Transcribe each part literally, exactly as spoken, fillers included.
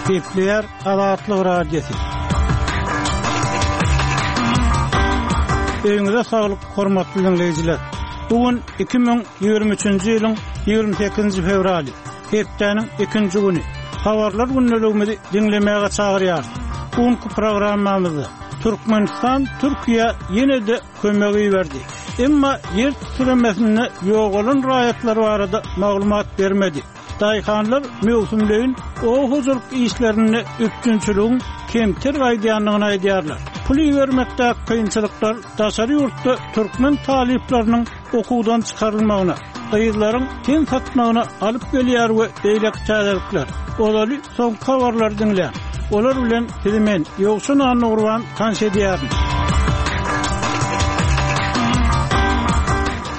Gepleýär Azatlyk Radiosy. Öýüňize saglyk, hormatly diňleýjiler. Bu gün iki müň ýigrimi üçünji ýylyň ýigrimi sekizinji fewraly, hepdäniň ikinji güni. Habarlar gündeligimizi diňlemäge çagyrýarys. Bu günki programmamyzda Türkmenistan Türkiýä ýene-de kömek iberdi. Emma ýer titremesinde ýogalan raýatlar barada maglumat bermedi. Daýhanlar möwsümleýin oba hojalyk işlerinde üpjünçiligiň kemter gaýdýandygyny aýdýarlar. Pul ibermekdäki kynçylyklar daşary ýurtda türkmen talyplarynyň okuwdan çykarylmagyna, gyzlaryň ten satmagyna alyp gelýär we beýleki täzelikler. Ozaly soňky habarlary diňläň. Olar bilen sizi men, Ýowşan Annagurban tanyş edýärin.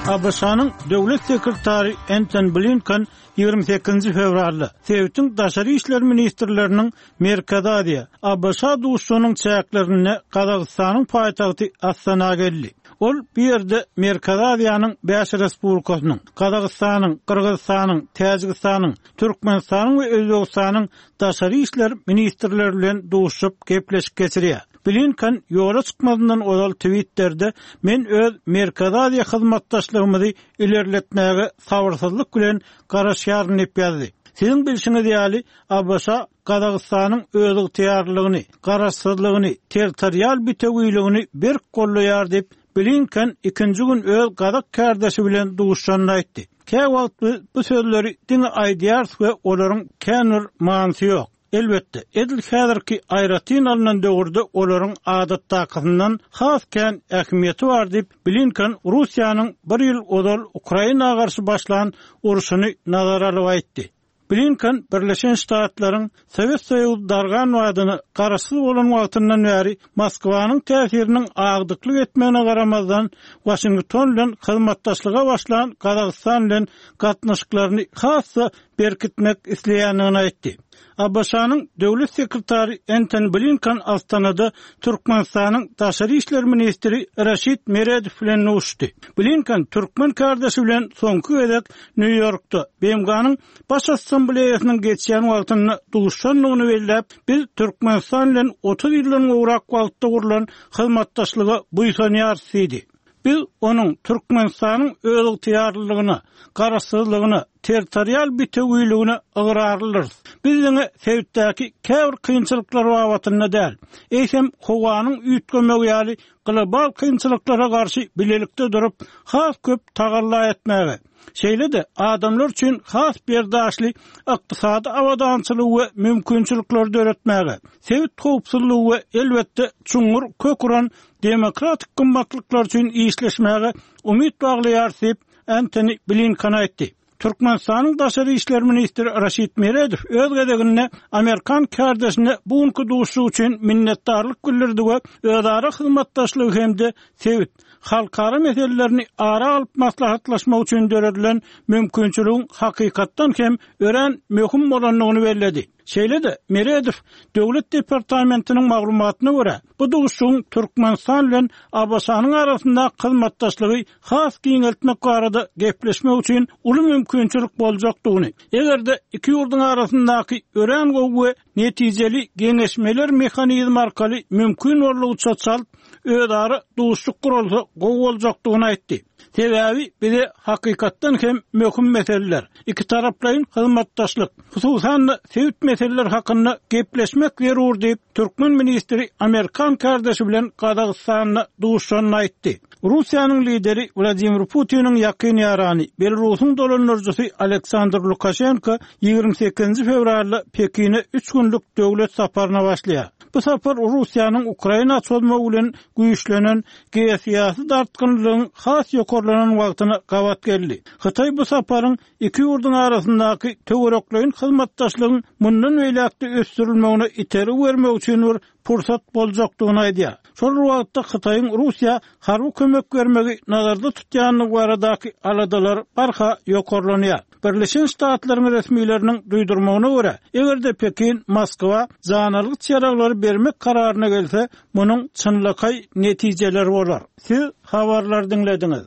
A B Ş-nyň Döwlet sekretary Entoni Blinken ýigrimi sekizinji fewralda sebitiň daşary işler ministrleriniň Merkezi Aziýa, A B Ş duşuşygynyň çäklerinde Gazagystanyň paýtagty Astana geldi. Ol bu ýerde Merkezi Aziýanyň bäş respublikasynyň, Gazagystanyň, Gyrgyzystanyň, Täjigistanyň, Türkmenistanyň we Özbegistanyň daşary işler ministrleri bilen duşuşyp gepleşik geçirýär. Blinken ýola çykmazyndan ozal Twitter'de Men öz Merkezi Aziýa hyzmatdaşlygymyzy ilerletmäge sabyrsyzlyk bilen garaşýaryn diýip ýazdy. Siziň bilşiňiz ýaly, A B Ş Gazagystanyň özygtyýarlygyny, garaşsyzlygyny, territorial bitewiligini berk gollaýar diýip, Blinken ikinji gün öz gazak kärdeşi bilen duşuşanda aýtdy. Käwagt biz bu sözleri diňe aýdýarys we olaryň kän bir manysy ýok. Elbetde, edil häzirki aýratyn alnan döwürde olaryň adatdakysyndan has kän ähmiýeti bar diýip, Blinken Russiýanyň bir ýyl ozal Ukraina garşy başlan urşuny nazara alyp aýtdy. Blinken Birleşen Ştatlaryň Sowet Soýuzy dargan badyna garaşsyz bolan wagtyndan bäri Moskwanyň täsiriniň agdyklyk etmegine garamazdan Waşington bilen hyzmatdaşlyga başlan Gazagystan bilen gatnaşyklaryny has-da berkitmek isleýändigini aýtdy. A B Ş-nyň döwlet sekretary Entoni Blinken Astanada Türkmenistanyň daşary işler ministri Raşid Meredow bilen duşuşdy. Blinken türkmen kärdeşi bilen soňky gezek Nýu-Ýorkda B M G-nyň Baş Assambleýasynyň geçýän wagtynda duşandygyny belläp, biz Türkmenistan bilen otuz ýyldan gowrak wagtda gurlan hyzmatdaşlyga buýsanýarys diýdi. Biz onuň Türkmenistanyň özygtyýarlylygyna, garaşsyzlygyna, territorial bitewiligine ygrarlydyrys. Biz diňe sebitdäki käbir kynçylyklar babatynda däl, eýsem howanyň üýtgemegi ýaly global kynçylyklara garşy bilelikde durup, has köp tagalla etmäge, şeýle-de adamlar üçin has berdaşly ykdysady abadançylygy we mümkinçilikleri döretmäge, sebit howpsuzlygy we elbetde çuňňur kök uran demokratik gymmatlyklar üçin işleşmäge umyt baglaýarys diýip, Entoni Blinken aýtdy. Türkmenistanyň daşary işler ministri Raşid Meredow öz gezeginde Amerikan kärdeşine bu günki duşuşyk üçin minnetdarlyk bildirdi we özara hyzmatdaşlygy hem-de sebit halkara meselelerini ara alyp maslahatlaşmak üçin döredilen mümkinçiligiň hakykatdan hem örän möhüm bolandygyny belledi. Şeýle-de Meredow Döwlet departamentiniň maglumatyna görä, bu duşuşygyň Türkmenistan bilen A B Ş-nyň arasynda hyzmatdaşlygy has giňeltmek barada gepleşmek üçin uly mümkinçilik boljakdygyny, eger-de iki ýurduň arasyndaky örän gowy we netijeli geňeşmeler mehanizmi arkaly mümkin boldugyça çalt özara duşuşyk guralsa gowy boljakdygyny aýtdy. Sebäbi bize hakykatdan hem möhüm meseleler, iki taraplaýyn hyzmatdaşlyk, hususan-da sebit meseleler hakynda gepleşmek zerur diýip, türkmen ministri Amerikan kärdeşi bilen Gazagystanda duşuşanyny aýtdy. Russiýanyň lideri Wladimir Putiniň ýakyn ýarany, Belarusyň dolandyryjysy Aleksandr Lukaşenko ýigrimi sekizinji fewralda Pekine üç günlük döwlet saparyna başlaýar. Bu sapar Russiýanyň Ukraina çozmagy bilen güýçlenen geosyýasy dartgynlygyň has ýokarlanan wagtyna gabat geldi. Hytaý bu saparyň iki ýurduň arasyndaky töwerekleýin hyzmatdaşlygyň mundan beýläk-de ösdürilmegine itergi bermek üçin bir pursat boljakdygyny aýdýar. Şol wagtda Hytaýyň Russiýa harby kömek bermegi nazarda tutýandygy baradaky aladalar barha ýokarlanýar. Birleşen Ştatlaryň resmileriniň duýdurmagyna görä, eger-de Pekin Moskwa janalgyç ýaraglary bermek kararyna gelse, munuň çynlakaý netijeleri bolar. Siz habarlar diňlediňiz.